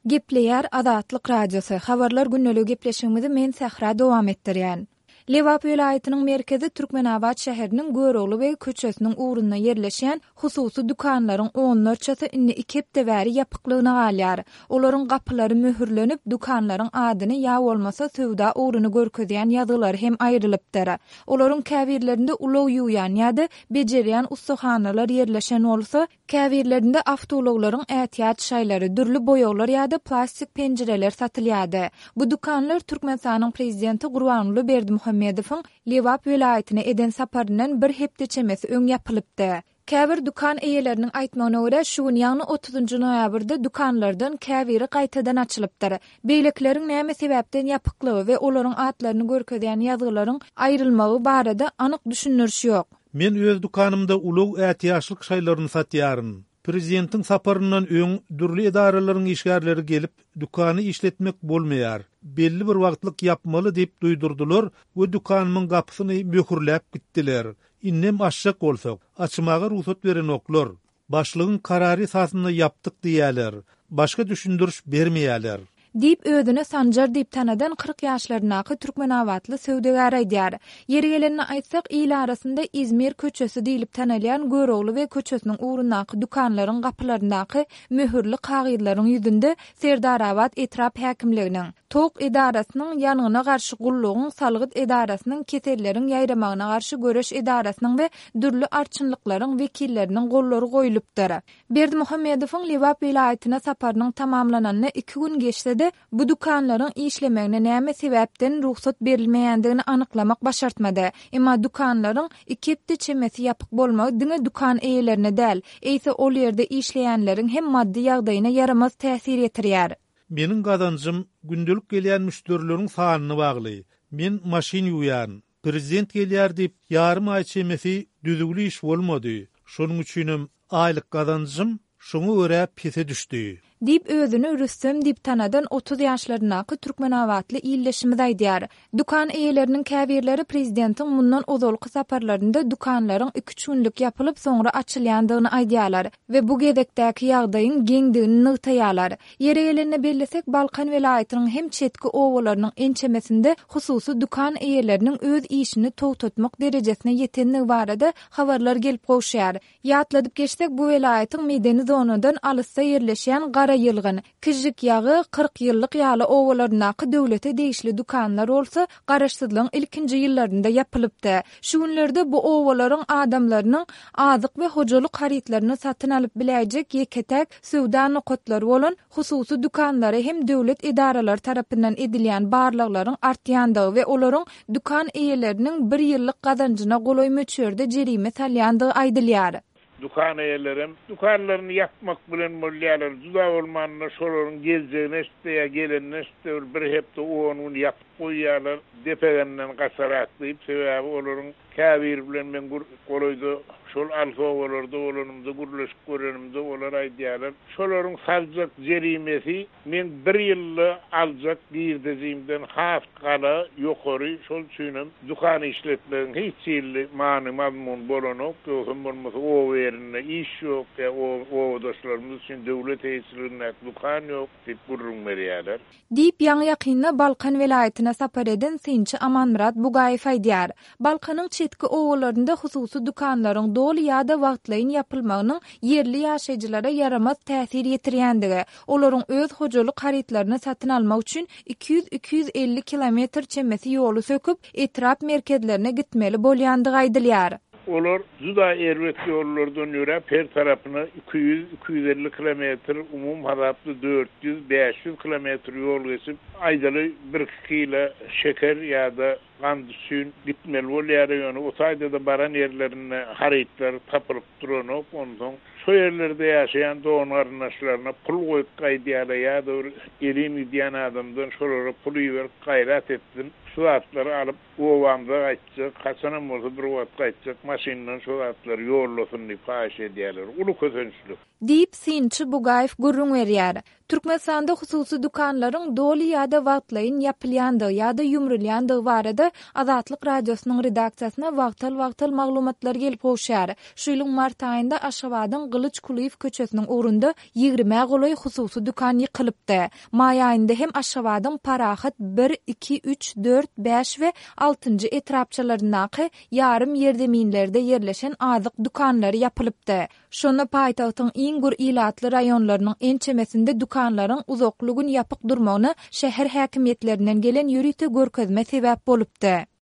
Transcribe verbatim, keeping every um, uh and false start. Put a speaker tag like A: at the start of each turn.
A: Gepleýär Azatlyk Radiosy, Habarlar gündeligi gepleşigimizi men Sähra dowam etdirýän. Lebap welaýatynyň merkezi Türkmenabat şäheriniň Görogly beg köçesiniň ugrunda ýerleşýän hususy dükanlaryň onlarçasy indi iki hepde bäri ýapyklygyna galýar. Olaryň gapylary möhürlenip, dükanlaryň adyny ýa bolmasa söwda ugruny görkezýän ýazgylary hem aýrylypdyr. Olaryň käbirlerinde ulag ýuwýan ýa-da bejerýän ussahanalar ýerleşen bolsa, käbirlerinde awtoulaglaryň ätiýaç şaýlary, dürli boýaglar ýa-da plastik penjireler satylýardy. Bu dükanlar Türkmenistanyň prezidenti Gurbanguly Berdimuhamedowyň Lebap welaýatyna eden saparyndan bir hepde çemesi öň ýapylypdy. Käbir dükan eýeleriniň aýtmagyna görä, şu gün, ýagny otuzynjy noýabrda dükanlardan käbiri gaýtadan açylypdyr. Beýlekileriň näme sebäpden ýapyklygy we olaryň atlaryny görkezýän ýazgylaryň aýrylmagy barada anyk düşündiriş ýok.
B: Men öz dükanymda ulag ätiýaçlyk şaýlaryny satýaryn. Prezidentiň saparyndan öň dürli edaralaryň işgärleri gelip, dükany işletmek bolmaýar, belli bir wagtlyk ýapmaly diýip duýdurdylar we dükanymyň gapysyny möhürläp gitdiler. Indem açjak bolsak, açmaga rugsat berenoklar. Başlygyň karary esasynda ýapdyk diýýärler. Başga düşündiriş bermeýärler.
A: Diýip, özüni Sanjar diýip tanadan kyrk ýaşlaryndaky türkmenabatly söwdagär aýdýar. Ýeri gelende aýtsak, il arasynda Izmir köçesi diýlip tanalýan Görogly beg köçesiniň ugrundaky dükanlaryň gapylaryndaky möhürli kagyzlaryň ýüzünde Serdarabat etrap häkimliginiň, Tok edarasynyň, ýangyna garşy gullugyň, salgyt edarasynyň, keselleriň ýaýramagyna garşy göreş edarasynyň we dürli arçynlyklaryň wekilleriniň gollary goýlupdyr. Berdimuhamedowyň Lebap welaýatyna saparynyň tamamlananyna iki gün geçse-de, bu dükanlaryň işlemegine näme sebäpden rugsat berilmeýändigini anyklamak başartmady. Emma dükanlaryň iki hepde çemesi ýapyk bolmagy diňe dükan eýelerine däl, eýse ol ýerde işleýänleriň hem maddy ýagdaýyna ýaramaz täsir ýetirýär.
B: Meniň gazanjym gündelik gelýän müşderileriň sanyna bagly. Men maşyn ýuwýaryn. Prezident gelýär diýip, ýarym aý çemesi düzüwli iş bolmady. Şonuň üçinem aýlyk gazanjym şoňa görä pese düşdi.
A: Diýip, özüni Rüstem diýip tanadan otuz ýaşlaryndaky türkmenabatly ildeşimiz aýdýar. Dükan eýeleriniň käbirleri prezidentiň mundan ozalky saparlarynda dükanlaryň iki-üç günlük ýapylyp, soňra açylýandygyny aýdýarlar we bu gezekdäki ýagdaýyň geňdigini nygtaýarlar. Ýeri gelende bellesek, Balkan welaýatynyň hem çetki obalarynyň ençemesinde hususy dükan eýeleriniň öz işini togtatmak derejesine ýetendigi barada habarlar gelip gowuşýar. Ýatladyp geçsek, bu welaýatyň medeni zonadan alysda ýerleşýän Garaýylgyn, Kižžik ýagy, Kyrk ýyllyk ýaly obalaryndaky döwlete degişli dükanlar bolsa garaşsyzlygyň ilkinji ýyllarynda ýapylypdy. Şu günlerde bu obalaryň adamlarynyň azyk we hojalyk harytlaryny satyn alyp biläýjek ýeke-täk söwda nokatlary bolan hususy dükanlara hem döwlet edaralary tarapyndan edilýän barlaglaryň artýandygy we olaryň dükan eýeleriniň bir ýyllyk gazanjyna golaý möçberde jerime salýandygy aýdylýar.
C: Dükan eýelerem dükanlaryny ýapmak bilen bolýarlar. Juda bolmanda şolaryň geljegine eşitse ýa gelenine eşitse bir bir hepde on gün ýapyp goýýarlar. Depegenden gaçarak diýip, sebäbi olaryň käbiri bilen men golaýda şol alys obalarda bolanymda gürleşip görenimde olar aýdýarlar. Şolaryň saljak jerimesi men bir ýylda aljak girdejimden has gala ýokary, şol üçinem dükan işletmegiň hiç hili many mazmun bolanok, ýogsam bolmasa oba ýerinde iş ýok, ýa obadaşlarymyz üçin döwlet eýeçiligindäki dükan ýok diýip gürrüň berýärler.
A: Diýip, ýaňy-ýakynda Balkan welaýatyna sapar eden synçy Amanmyrat Bugaýew aýdýar. Balkanyň çetki obalarynda hususy dükanlaryň doly ýa-da wagtlaýyn ýapylmagynyň ýerli ýaşaýjylara ýaramaz täsir ýetirýändigi, olaryň öz hojalyk harytlaryny satyn almak üçin iki ýüz-iki ýüz elli kilometr çemesi ýoly söküp, etrap merkezlerine gitmeli bolýandygy aýdylýar.
C: Olar juda erbet ýollardan ýöräp, her tarapyna iki ýüz, iki ýüz elli kilometr, umum hasapda dört ýüz, bäş ýüz kilometr ýol geçip, aýdaly bir iki kilo şeker ýa-da gant üçin gitmeli bolýar. Ýöne o taýda-da baran ýerlerinde harytlar tapylyp duranok. Onsoň şo ýerlerde ýaşaýan dogan-garyndaşlaryna pul goýup gaýdýarlar ýa-da bir elin gidýän adamdan şolara pul iberip gaýrat etsin. Şu zatlary alyp obamyza gaýtjak, haçanam bolsa bir wagt gaýtjak, maşyndan şu zatlary ýollasyn diýip haýyş edýärler. Uly kösençlik.
A: Diýip, synçy Bugaýew gürrüň berýär. Türkmenistanda hususy dükanlaryň doly ýa-da wagtlaýyn ýapylýandygy ýa-da ýumrulýandygy barada Azatlyk Radiosynyň redaksiýasyna wagtal-wagtal maglumatlar gelip gowuşýar. Şu ýylyň mart aýynda Aşgabadyň Gylyç Kulyýew köçesiniň ugrunda ýigrimä golaý hususy dükan ýykylypdy. Maý aýynda hem Aşgabadyň Parahat bir, iki, üç, dört, bäş we altynjy etrapçalaryndaky ýarym ýerzeminlerde ýerleşen azyk dükanlary ýapylypdy. Şonda paýtagtyň iň gür ilatly raýonlarynyň ençemesinde dükanlaryň uzakly gün ýapyk durmagyna şäher häkimiýetlerinden gelen ýörite görkezme sebäp bolupdy.